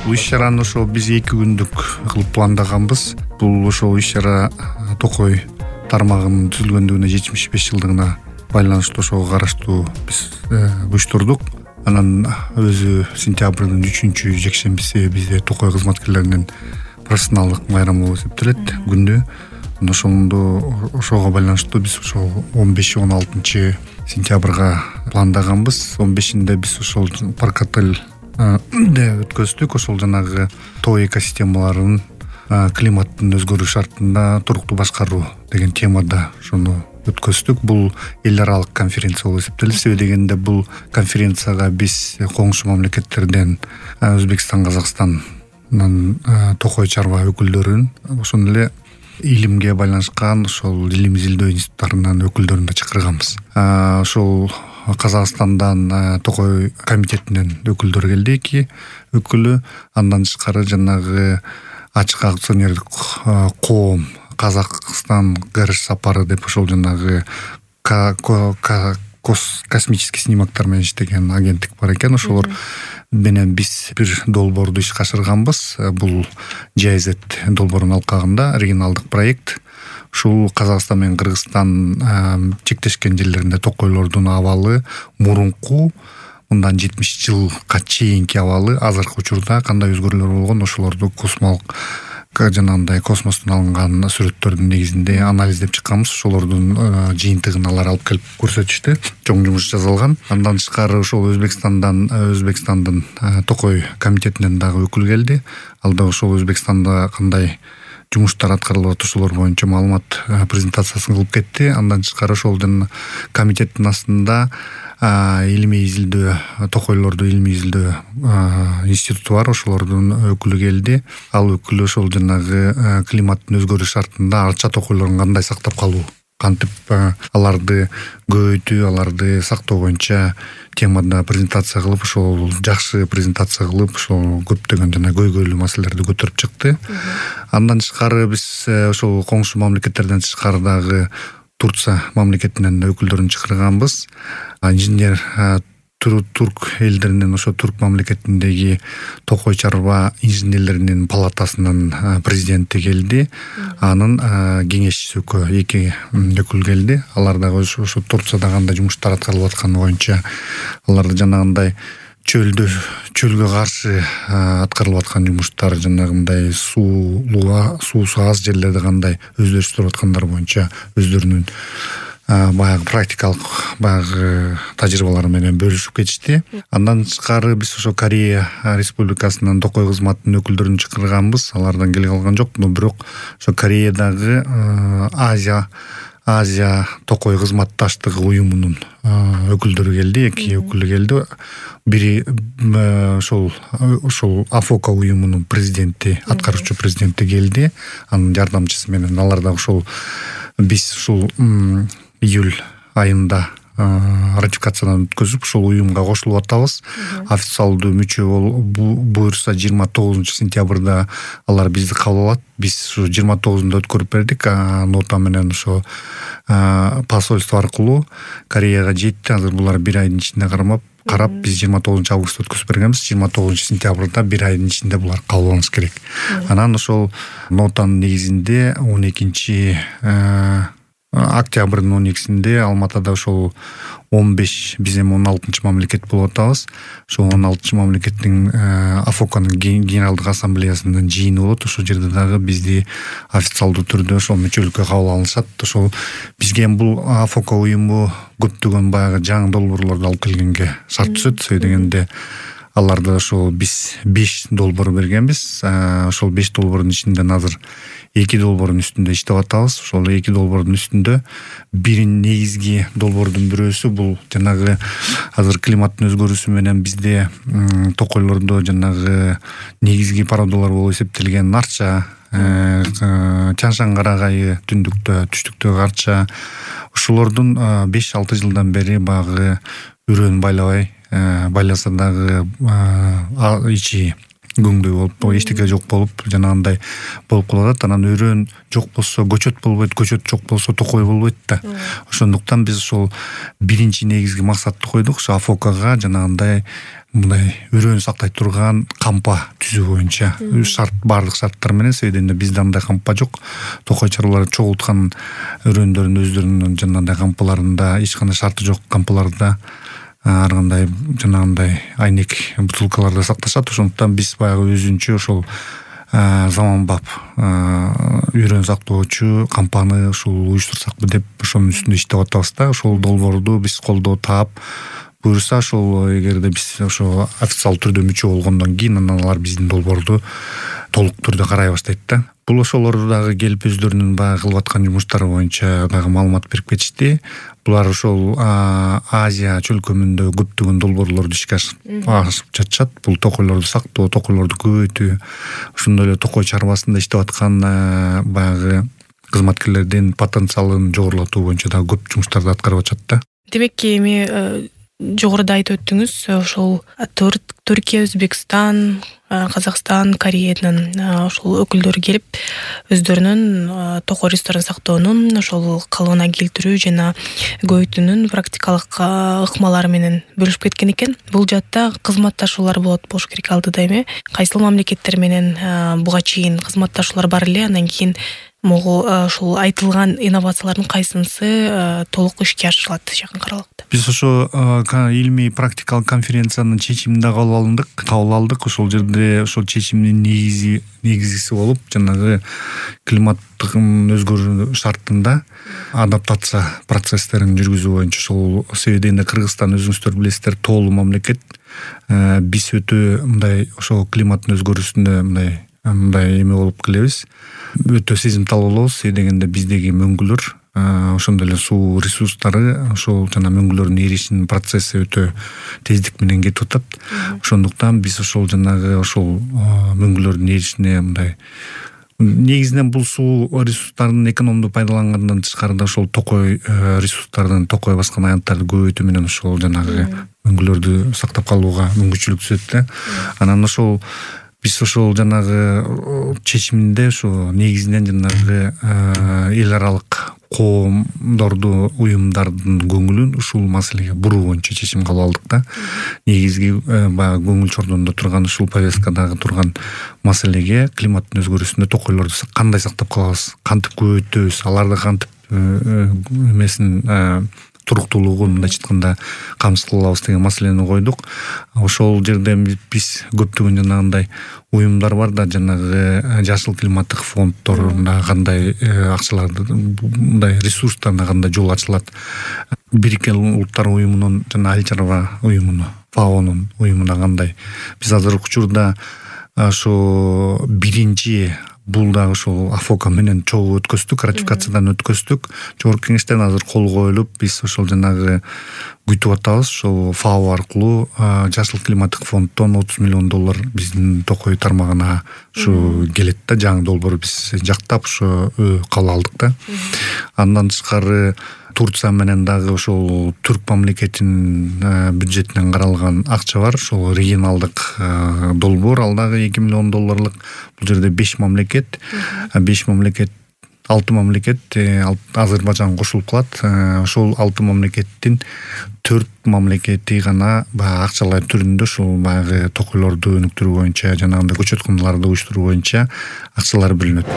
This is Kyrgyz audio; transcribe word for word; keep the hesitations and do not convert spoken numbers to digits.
Бул иш-чараны ошо биз эки күндүк кылып пландаганбыз. Бул ошо иш-чара Токой тармагынын түзүлгөндүгүнө жетимиш беш жылдыгына байланыштуу ошого караштуу биз уюштурдук. Анан өзү сентябрдын үчүнчү жекшембиси бизде Токой кызматкерлеринин профессионалдык байрамы болуп эсептелет күндү. Ошондо ошого байланыштуу биз ошо он беш он алтынчы сентябрга пландаганбыз. он бешинде биз ошол парк отель өткөздүк. Ошол жанагы тоо экосистемаларын климаттын өзгөрүү шартында туруктуу башкаруу деген темада ошону өткөздүк. Бул эл аралык конференция болуп эсептелет. Себеби дегенде бул конференцияга биз коңшу мамлекеттерден Өзбекстан, Казакстандан Токой чарба өкүлдөрүн, ошондой эле илимге байланышкан ошол илим изилдөө институттарынын өкүлдөрүн да чакырганбыз. Ошол Казакстандан Токой комитетинин өкүлдөрү келди, эки өкүлү. Андан тышкары жанагы ачык акционердик коом Казакстан ГРШ сапары деп ошол жанагы космический снимактар менен иштеген агенттик бар экен. Ошолор менен биз бир долбоорду ишке ашырганбыз. Бул джи ай зет долбоорунун алкагында оригиналдык проект. Ушул Казакстан менен Кыргызстан чектешкен жерлеринде токойлордун абалы мурунку мындан жетимиш жылга чейинки абалы азыркы учурда кандай өзгөрүүлөр болгон, ошолорду космолук жанагындай космостон алынган сүрөттөрдүн негизинде анализдеп чыкканбыз. Ошолордун жыйынтыгын алар алып келип көрсөтүштү. Чоң жумуш жасалган. Андан тышкары ошол Өзбекстандан Өзбекстандын Токой комитетинен дагы өкүл келди. Ал да ошол Өзбекстанда кандай жумуштар аткарылып атат ошолор боюнча маалымат презентациясын кылып кетти. Андан тышкары ошол комитеттин астында илимий изилдөө, токойлорду илимий изилдөө институту бар. Ошолордун өкүлү келди. Ал өкүл ошол жанагы климаттын өзгөрүү шартында арча токойлорун кандай сактап калуу, кантип аларды көбөйтүү, аларды сактоо боюнча темада презентация кылып, ошол жакшы презентация кылып, ошол көптөгөн жана көйгөйлүү маселелерди көтөрүп чыкты. Андан тышкары биз ошол коңшу мамлекеттерден тышкары дагы Турция мамлекетинен өкүлдөрүн чакырганбыз. Инженер турк элдеринин, ошо турк мамлекетиндеги Токой чарба инженерлеринин палатасынын президенти келди. Анын кеңешчиси эки өкүл келди. Алар дагы ошо Турцияда кандай жумуштар аткарылып атканы боюнча, аларды жанагындай чөлдө чөлгө каршы аткарылып аткан жумуштар, жанагындай суулуу суусу аз жерлерде кандай өздөштүрүп аткандар боюнча өздөрүнүн баягы практикалык баягы тажрыйбалары менен бөлүшүп кетишти. Андан тышкары биз ошо Корея Республикасынын Токой кызматынын өкүлдөрүн чакырганбыз. Алардан келе калган жок, но бирок ошо Кореядагы Азия Азия Токой кызматташтыгы уюмунун өкүлдөрү келди, эки өкүлү келди. Бири ошол ошол Афока уюмунун президенти, аткаруучу президенти келди, анын жардамчысы менен. Алар да ошол биз ушул июль айында ратификациядан өткөзүп, ошол уюмга кошулуп атабыз. Официалдуу мүчө буюрса жыйырма тогузунчу сентябрда алар бизди кабыл алат. Биз ушу жыйырма тогузунда өткөрүп бердик. Нота менен ошо посольство аркылуу Кореяга жетти. Азыр булар бир айдын ичинде кармап карап, биз жыйырма тогузунчу августта өткөзүп бергенбиз. жыйырма тогузунчу сентябрда бир айдын ичинде булар кабыл алыныш керек. Анан ошол нотанын негизинде он экинчи октябрдын он экисинде Алматада ошол он беш, биз эми он алтынчы мамлекет болуп атабыз. Ошол он алтынчы мамлекеттин Афоканын генералдык ассамблеясынын жыйыны болот. Ошол жерде дагы бизди официалдуу түрдө ошол мүчөлүккө кабыл алышат. Ошол бизге эми бул Афока уюму көптөгөн баягы жаңы долбоорлорду алып келгенге шарт түзөт. Себеби дегенде аларда ошол биз беш долбоор бергенбиз. Ошол беш долбоордун ичинен азыр эки долбоордун үстүндө иштеп атабыз. Ошол эки долбоордун үстүндө бир негизги долбоордун бирөөсү бул жанагы азыр климаттын өзгөрүүсү менен бизде токойлордо жанагы негизги породалар болуп эсептелген арча, Чаңшан карагайы, түндүктө, түштүктөгү арча, ошолордун беш алты жылдан бери багы үрөөн байлабай, байласа дагы ичи күңдүү болуп, эчтеке жок болуп жанагындай болуп калат. Анан өрөөн жок болсо көчөт болбойт, көчөт жок болсо токой болбойт да. Ошондуктан биз ошол биринчи негизги максатты койдук, ошо АФОКага жанагындай мындай өрөөнү сактай турган кампа түзүү боюнча шарт, баардык шарттар менен. Себебинде бизде андай кампа жок. Токой чарбалар чогулткан өрөөндөрдүн өздөрүнүн жанагындай кампаларында эч кандай шарты жок кампаларда ар кандай жанагындай айнек бутылкаларда сакташат. Ошондуктан биз баягы өзүнчө ошол заманбап өрөөн сактоочу кампаны ушул уюштурсакпы деп ошонун үстүндө иштеп атабыз да. Ошол долбоорду биз колдоо таап, буюрса ошол эгерде биз ошо официалдуу түрдө мүчө болгондон кийин анан алар биздин долбоорду толук түрдө карай баштайт да. Бул ошолор дагы келип өздөрүнүн баягы кылып аткан жумуштары боюнча дагы маалымат берип кетишти. Булар ошол Азия чөлкөмүндө көптөгөн долбоорлорду ишке ашырып жатышат. Бул токойлорду сактоо, токойлорду көбөйтүү, ошондой эле токой чарбасында иштеп аткан баягы кызматкерлердин потенциалын жогорулатуу боюнча дагы көп жумуштарды аткарып атышат да. Демек эми жогоруда айтып өттүңүз, ошол Түркия, Өзбекстан, Казакстан, Кореянын ошол өкүлдөрү келип өздөрүнүн токой ресурстарын сактоонун ошол калыбына келтирүү жана көбөйтүүнүн практикалык ыкмалары менен бөлүшүп кеткен экен. Бул жаатта кызматташуулар болот болуш керек алдыда эми. Кайсыл мамлекеттер менен буга чейин кызматташуулар бар эле, андан кийин могу ушул айтылган инновациялардын кайсынысы толук ишке ашырылат жакын аралыкта? Биз ошо илимий практикалык конференциянын чечимин да кабыл алдык, кабыл алдык. Ошол жерде ошол чечимдин негизи негизгиси болуп, жанагы климаттын өзгөрүү шартында адаптация процесстерин жүргүзүү боюнча. Ошол себебинде Кыргызстан, өзүңүздөр билесиздер, тоолуу мамлекет. Биз өтө мындай ошол климаттын өзгөрүүсүндө мындай мындай эме болуп келебиз. Өтө сезимтал болобуз. Дегенде биздеги мөңгүлөр, ошондой эле суу ресурстары, ошол жана мөңгүлөрдүн эришинин процесси өтө тездик менен кетип атат. Ошондуктан биз ошол жанагы ошол мөңгүлөрдүн эришине мындай негизинен бул суу ресурстарын экономдуу пайдалангандан тышкары ошол токой ресурстардын, токой баскан аянттарды көбөйтүү менен ошол жанагы мөңгүлөрдү сактап калууга мүмкүнчүлүк түзөт да. Анан ошол биз ошол жанагы чечиминде ошо негизинен жанагы эл аралык коомдорду, уюмдардын көңүлүн ушул маселеге буруу боюнча чечим кабыл алдык да. Негизги баягы көңүл чордондо турган ушул повесткадагы турган маселеге климаттын өзгөрүүсүндө токойлорду кандай сактап калабыз, кантип көбөйтөбүз, аларды кантип эмесин туруктуулугун мындайча айтканда камсыз кылабыз деген маселени койдук. Ошол жерде биз көптөгөн жанагындай уюмдар бар да, жанагы жашыл климаттык фонддорунда кандай акчаларды, мындай ресурстарына кандай жол ачылат. Бириккен Улуттар уюмунун жана Айыл чарба уюмуна, ФАОнун уюмуна кандай. Биз азыркы учурда ошо биринчи бул дагы ошол АФОКа менен чогуу өткөздүк, ратификациядан өткөздүк. Жогорку кеңештен азыр кол коюлуп, биз ошол жанагы күтүп атабыз. Ошол ФАО аркылуу жашыл климаттык фонддон отуз миллион доллар биздин токой тармагына ушу келет да. Жаңы долбоор биз жактап ушу кабыл алдык да. Андан тышкары Турция менен дагы ошол түрк мамлекетинин бюджетинен каралган акча бар. Ошол регионалдык долбоор, ал дагы эки миллион долларлык. Бул жерде беш мамлекет, беш мамлекет, алты мамлекет, Азербайжан кошулуп калат. Ошол алты мамлекеттин төрт мамлекети гана баягы акчалар түрүндө ушул баягы токойлорду өнүктүрүү боюнча, жанагындай көчөт кумдаларды уюштуруу боюнча акчалар бөлүнөт.